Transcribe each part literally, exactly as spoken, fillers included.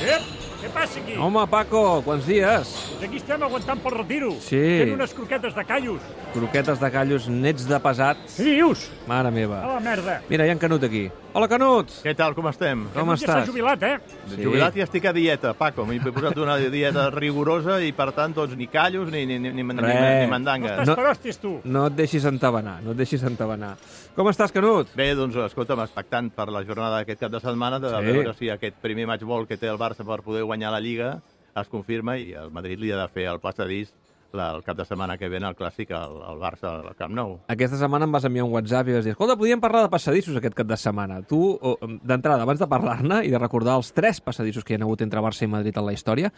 Ep, què passa aquí? Home, Paco, quants dies? Doncs aquí estem aguantant pel retiro. Sí. Fent unes croquetes de callos. Croquetes de callos, nets de pesats. Què dius? Mare meva. A la merda. Mira, hi ha en Canut aquí. Hola, Canut! Què tal, com estem? Com Ja s'ha estàs? jubilat, eh? Sí. Jubilat i estic a dieta, Paco. M'he posat una dieta rigorosa i, per tant, doncs, ni callos ni, ni, ni, ni, ni, Res. ni mandangues. No estàs per hòsties, tu. No et deixis entabanar, no et deixis entabanar. Com estàs, Canut? Bé, doncs, escolta'm, expectant per la jornada d'aquest cap de setmana de Sí. veure si aquest primer match ball que té el Barça per poder guanyar la Lliga es confirma i el Madrid li ha de fer el passadís la, el cap de setmana que ve en el Clàssic al, al Barça al Camp Nou. Aquesta setmana em vas enviar un WhatsApp i vas dir, escolta, podíem parlar de passadissos aquest cap de setmana. Tu, oh, d'entrada, abans de parlar-ne i de recordar els tres passadissos que hi ha hagut entre Barça i Madrid en la història,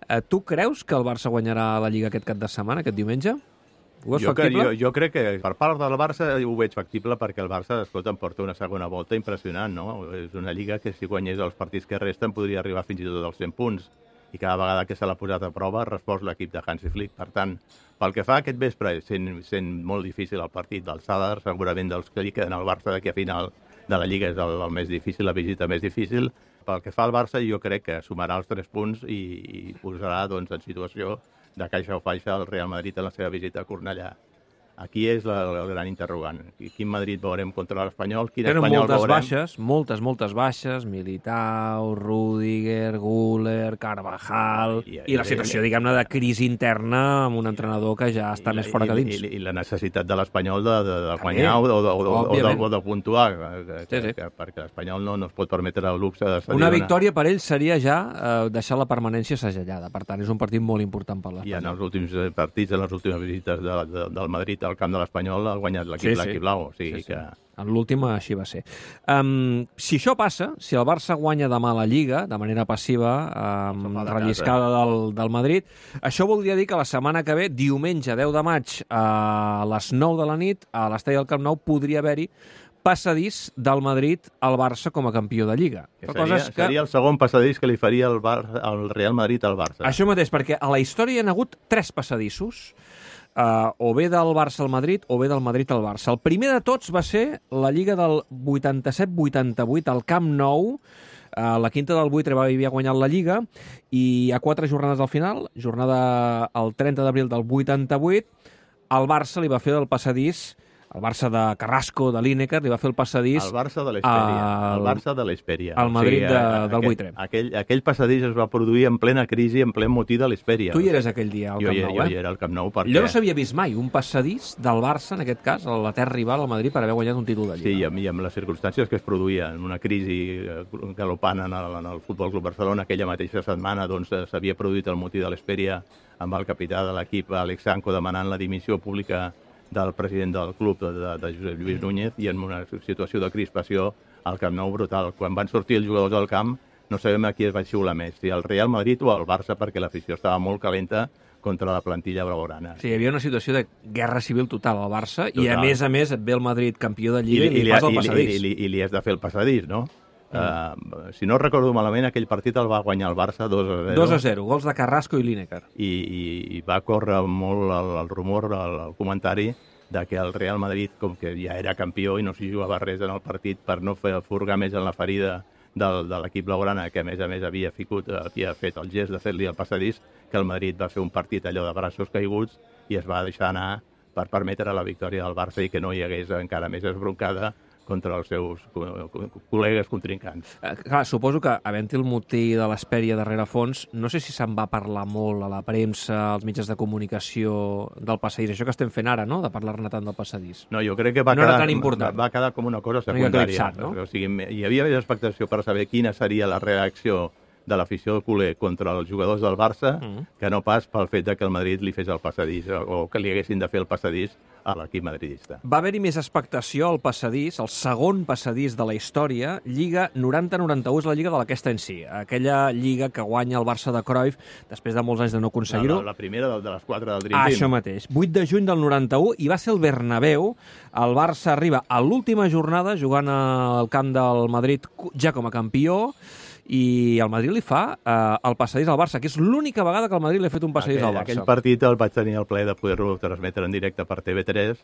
eh, tu creus que el Barça guanyarà la Lliga aquest cap de setmana, aquest diumenge? Ho veus Jo, que, factible? jo, jo crec que per part del Barça ho veig factible perquè el Barça, escolta, em porta una segona volta impressionant, no? És una lliga que si guanyés els partits que resten podria arribar fins i tot als cent punts i cada vegada que se l'ha posat a prova ha respost l'equip de Hansi Flick. Per tant, pel que fa a aquest vespre, sent, sent molt difícil el partit del Sadar, segurament dels que li queden al Barça d'aquí a final de la Lliga és el, el més difícil, la visita més difícil. Pel que fa al Barça, jo crec que sumarà els tres punts i, i posarà doncs, en situació de caixa o faixa el Real Madrid en la seva visita a Cornellà. Aquí és la, el gran interrogant. Quin Madrid veurem contra l'Espanyol? Quin Tenen Espanyol moltes veurem? baixes, moltes, moltes baixes, Militao, Rüdiger, Güler, Carvajal, i, I- i, i la situació, diguem-ne, de crisi interna amb un entrenador que ja està I- més fora que dins. I, i, i la necessitat de l'Espanyol de, de, de També, guanyar o de, o, de, o, de, òbviament. o de puntuar, que, Sí, sí. Que, perquè l'Espanyol no, no es pot permetre el luxe de cedir Una victòria per ell seria ja eh, deixar la permanència segellada. Per tant, és un partit molt important per I en l'Espanyol. els últims eh, partits, en les últimes visites de, de, del Madrid al camp de l'Espanyol, ha guanyat l'equip Sí, sí. l'equip blau. O sigui Sí, sí. que... En l'última així va ser. Um, si això passa, si el Barça guanya demà la Lliga, de manera passiva, um, Sofà de relliscada del, del Madrid, això voldria dir que la setmana que ve, diumenge deu de maig, a les nou de la nit, a l'estadi del Camp Nou, podria haver-hi passadís del Madrid al Barça com a campió de Lliga. que Però seria, coses que... seria el segon passadís que li faria el, Bar, el Real Madrid al Barça. Això mateix, perquè a la història hi ha hagut tres passadissos, uh, o bé del Barça al Madrid o bé del Madrid al Barça. El primer de tots va ser la Lliga del vuitanta-set vuitanta-vuit al Camp Nou. Uh, la quinta del Buitre va havia guanyat la Lliga i a quatre jornades al final, jornada el trenta d'abril del vuitanta-vuit, el Barça li va fer el passadís, el Barça de Carrasco, de Lineker, li va fer el passadís El Barça de l'Hespèria. al- El Barça de l'Hespèria. al Madrid de- eh, del Buitre. Aquell, aquell passadís es va produir en plena crisi, en ple motí de l'Hespèria. Tu hi eres aquell dia al jo, Camp hi- Nou, jo eh? hi era al Camp Nou perquè... Jo no s'havia vist mai un passadís del Barça, en aquest cas, a la terra rival, al Madrid, per haver guanyat un títol de Sí, i Lliga. amb, i amb les circumstàncies que es produïa en una crisi eh, galopant en el, en el Futbol Club Barcelona, aquella mateixa setmana doncs, eh, s'havia produït el motí de l'Hespèria amb el capità de l'equip, Alex Sanco, demanant la dimissió pública del president del club, de, de, de Josep Lluís Núñez, i en una situació de crispació al Camp Nou brutal. Quan van sortir els jugadors del camp, no sabem a qui es va xiular més, si al Real Madrid o al Barça, perquè l'afició estava molt calenta contra la plantilla blaugrana. Sí, hi havia una situació de guerra civil total al Barça i, a Total. més a més, et ve el Madrid campió de I, Lliga i, li- li li, fas el i, li, passadís. i, li, i li has de fer el passadís, no? Mm. Uh, si no recordo malament, aquell partit el va guanyar el Barça dos a zero. dos a zero, gols de Carrasco i Lineker. I, i, i va córrer molt el, el rumor, el, el comentari, de que el Real Madrid, com que ja era campió i no s'hi jugava res en el partit, per no fer furgar més en la ferida del, de l'equip blaugrana, que a més a més havia, ficut, havia fet el gest de fer-li el passadís, que el Madrid va fer un partit allò de braços caiguts i es va deixar anar per permetre la victòria del Barça i que no hi hagués encara més esbroncada contra els seus co- co- col·legues contrincants. Eh, clar, suposo que, havent-hi el motí de l'Hespèria darrere fons, no sé si se'n va parlar molt a la premsa, als mitjans de comunicació del passadís, això que estem fent ara, no?, de parlar-ne tant del passadís. No, jo crec que va, No era quedar, tan important. va quedar com una cosa Una mica secundària. eclipsat, no? O sigui, hi havia més expectació per saber quina seria la reacció de l'afició culer contra els jugadors del Barça Mm. que no pas pel fet de que el Madrid li fes el passadís o, o que li haguessin de fer el passadís a l'equip madridista. Va haver-hi més expectació al passadís, el segon passadís de la història, Lliga noranta noranta-u, és la Lliga de la Aquesta en si, aquella Lliga que guanya el Barça de Cruyff després de molts anys de no aconseguir-ho. La, la primera de, de les quatre del Dream Ah, Team. això mateix. vuit de juny del noranta-u, i va ser el Bernabéu. El Barça arriba a l'última jornada jugant al camp del Madrid ja com a campió, i el Madrid li fa eh, el passadís al Barça, que és l'única vegada que el Madrid li ha fet un passadís aquell, al Barça. Aquell partit el vaig tenir el plaer de poder-lo transmetre en directe per T V tres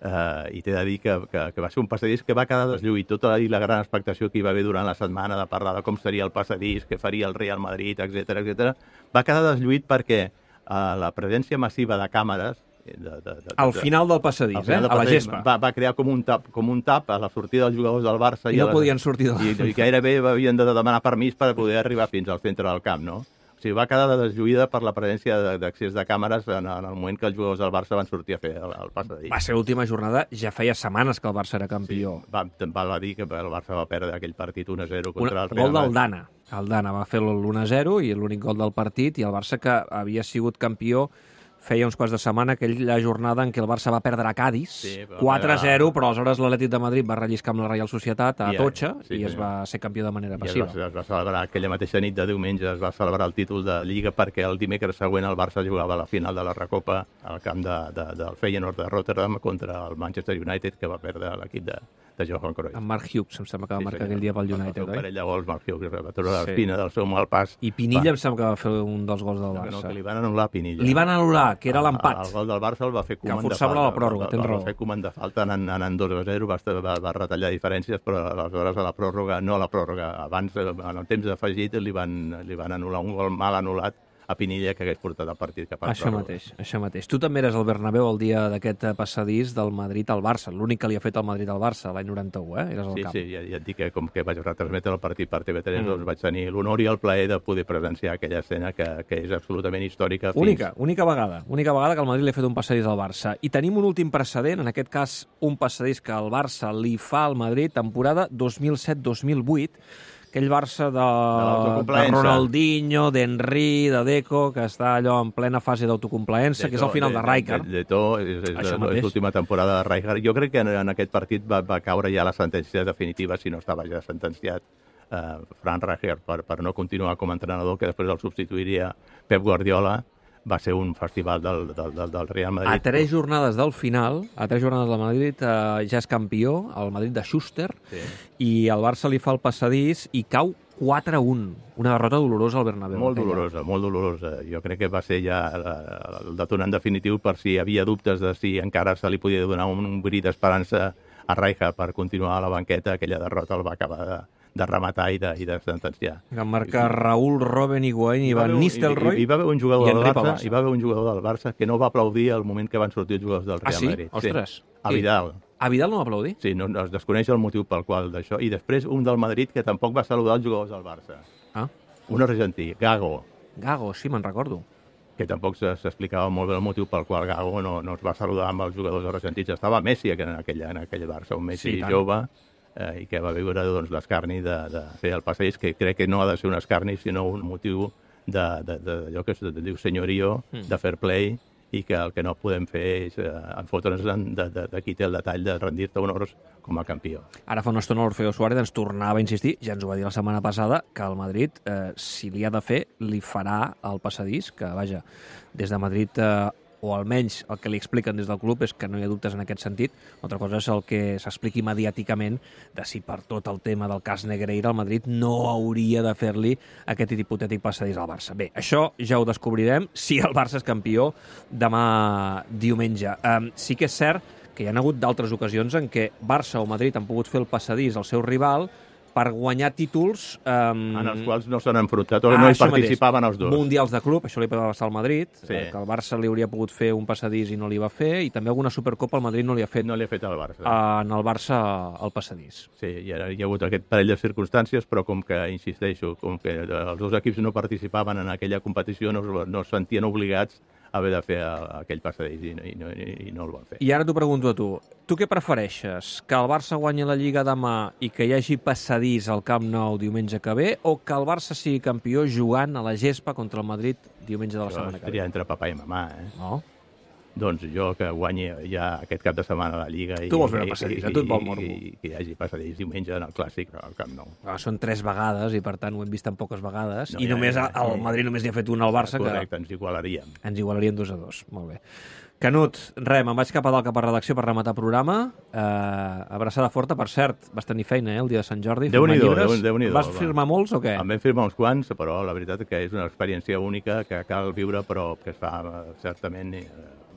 Uh, i t'he de dir que, que, que va ser un passadís que va quedar deslluït. Tota la, la gran expectació que hi va haver durant la setmana de parlar de com seria el passadís, què faria el Real Madrid, etcètera, etcètera, va quedar deslluït perquè uh, la presència massiva de càmeres de, de, de, al de, final del passadís, al final eh? del a la passadís gespa. Va, va crear com un, tap, com un tap a la sortida dels jugadors del Barça. I no les, podien sortir de la... I, I gairebé havien de demanar permís per poder arribar fins al centre del camp, no? O sigui, va quedar deslluïda per la presència d'accés de càmeres en, en el moment que els jugadors del Barça van sortir a fer el, el passadís. Va ser l'última jornada, ja feia setmanes que el Barça era campió. Sí, va, val a dir que el Barça va perdre aquell partit un a zero contra Una, el Real gol del Madrid. Dana. El Dana va fer l'u a zero i l'únic gol del partit, i el Barça, que havia sigut campió feia uns quarts de setmana, aquella jornada en què el Barça va perdre a Cádiz, sí, quatre a zero, però aleshores l'Atlètic de Madrid va relliscar amb la Reial Societat a Atocha i, sí, i es va ser campió de manera passiva. I es va, es va celebrar aquella mateixa nit de diumenge, es va celebrar el títol de Lliga perquè el dimecres següent el Barça jugava a la final de la Recopa al camp de, de, del Feyenoord de Rotterdam contra el Manchester United, que va perdre l'equip de, de Johan Cruyff. En Mark Hughes, em sembla que va sí, marcar senyor. aquell dia pel United, oi? oi? Parell de gols, Mark Hughes, va treure Sí. l'espina del seu mal pas. I Pinilla va. em sembla que va fer un dels gols del No, Barça. no, que li van anul·lar Pinilla. Li van anul·lar, que era El- l'empat. El gol del Barça el va fer Koeman de forçava falta. la pròrroga, tens el, raó. El va fer Koeman de falta anant, anant dos a zero, va, va, va retallar diferències, però aleshores a la pròrroga, no a la pròrroga, abans, en el temps afegit, li van, li van anul·lar un gol mal anul·lat a Pinilla que hagués portat el partit cap a la Això pròrroga. mateix, això mateix. Tu també eres al Bernabéu el dia d'aquest passadís del Madrid al Barça, l'únic que li ha fet el Madrid al Barça l'any noranta-u, eh? Eres al Sí, camp. sí, ja, ja et dic que com que vaig retransmetre el partit per T V tres, Mm. doncs vaig tenir l'honor i el plaer de poder presenciar aquella escena que, que és absolutament històrica. Fins... Única, única vegada, única vegada que el Madrid li ha fet un passadís al Barça. I tenim un últim precedent, en aquest cas un passadís que el Barça li fa al Madrid temporada dos mil set dos mil vuit, aquell Barça de, de, l'autocomplaença. Ronaldinho, d'Henry, de Deco, que està allò en plena fase d'autocomplaença, que és el final de, de Rijkaard. De, de to, és, és, Això és mateix. l'última temporada de Rijkaard. Jo crec que en, en aquest partit va, va caure ja la sentència definitiva, si no estava ja sentenciat, eh, Frank Rijkaard per, per no continuar com a entrenador, que després el substituiria Pep Guardiola. Va ser un festival del, del, del, del Real Madrid. A tres jornades del final, a tres jornades del Madrid, eh, ja és campió, el Madrid de Schuster, Sí. i el Barça li fa el passadís i cau quatre a un. Una derrota dolorosa al Bernabéu. Molt aquella. dolorosa, molt dolorosa. Jo crec que va ser ja el detonant definitiu per si hi havia dubtes de si encara se li podia donar un, un bri d'esperança a Rijkaard per continuar a la banqueta. Aquella derrota el va acabar de, de rematar i de, i de sentenciar. Que marca Raúl, Robben, Higuaín i Hi va Van haver un- Nistelrooy. Hi, hi va haver un jugador i del Henry Barça, Pavassa. hi va haver un jugador del Barça que no va aplaudir al moment que van sortir els jugadors del Ah, Real sí? Madrid. Ostres. A Qui? Vidal. A Vidal no va aplaudir? Sí, no, no es desconeix el motiu pel qual d'això. I després un del Madrid que tampoc va saludar els jugadors del Barça. Ah, Un argentí, Gago, Gago, sí, me'n recordo. que tampoc se- s'explicava molt bé el motiu pel qual Gago no, no es va saludar amb els jugadors argentins. Estava Messi en aquell, en aquell Barça, un Messi Sí, tant. jove, eh, i que va viure doncs, l'escarni de, de fer el passeig, que crec que no ha de ser un escarni, sinó un motiu d'allò de, de, d'allò que es diu senyorio, Mm. de fair play, i que el que no podem fer és eh, enfotre'ns de, de, de qui té el detall de rendir-te honors com a campió. Ara fa una estona l'Orfeo Suárez ens tornava a insistir, ja ens ho va dir la setmana passada, que el Madrid, eh, si li ha de fer, li farà el passadís, que, vaja, des de Madrid, eh, o almenys el que li expliquen des del club és que no hi ha dubtes en aquest sentit. Una altra cosa és el que s'expliqui mediàticament de si per tot el tema del cas Negreira el Madrid no hauria de fer-li aquest hipotètic passadís al Barça. Bé, això ja ho descobrirem si el Barça és campió demà diumenge. Um, sí que és cert que hi ha hagut d'altres ocasions en què Barça o Madrid han pogut fer el passadís al seu rival per guanyar títols... Um, En els quals no s'han enfrontat, o Ah, no hi això participaven mateix. els dos. Mundials de club, això li va passar al Madrid, Sí. eh, que el Barça li hauria pogut fer un passadís i no li va fer, i també alguna Supercopa el Madrid no li ha fet No li ha fet al Barça. en el Barça el passadís. Sí, hi ha, hi ha hagut aquest parell de circumstàncies, però com que, insisteixo, com que els dos equips no participaven en aquella competició, no, es- no es sentien obligats a haver de fer a- aquell passadís i, i, no, i, i no el van fer. I ara t'ho pregunto a tu. Tu què prefereixes? Que el Barça guanyi la Lliga demà i que hi hagi passadís al Camp Nou diumenge que ve, o que el Barça sigui campió jugant a la gespa contra el Madrid diumenge de la Això setmana que ve? estaria entre papà i mamà, eh? No? Doncs jo que guanyi ja aquest cap de setmana la Lliga i, Tu vols veure i- passadís, i- a tu et vol i- morbo. i que hi hagi passadís diumenge en el Clàssic al Camp Nou. Ah, són tres vegades i, per tant, ho hem vist en poques vegades. No, I ja, només ja, ja. el Madrid només n'hi ha fet un al Barça, que Correcte, ens igualaríem. ens igualarien dos a dos. Molt bé. Canut, res, me'n vaig cap a dalt cap a redacció per rematar programa. Uh, abraçada forta, per cert, vas tenir feina, eh, el dia de Sant Jordi. Déu-n'hi-do, firmar llibres. Déu- Déu-n'hi-do, Vas va. firmar molts o què? En vam firmar uns quants, però la veritat que és una experiència única que cal viure, però que es fa eh, certament eh,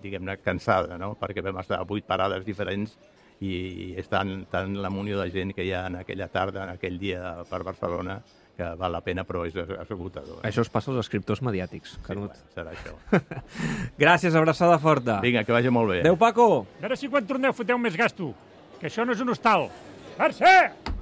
diguem-ne, cansada, no? Perquè vam estar a vuit parades diferents i és tant, tant la munió de gent que hi ha en aquella tarda, en aquell dia per Barcelona, que val la pena, però és esgotador. Eh? Això us passa als escriptors mediàtics, Canut. Sí, bueno, serà això. Gràcies, abraçada forta. Vinga, que vagi molt bé. Adéu, Paco. A veure si quan torneu foteu més gasto, que això no és un hostal. Mercè!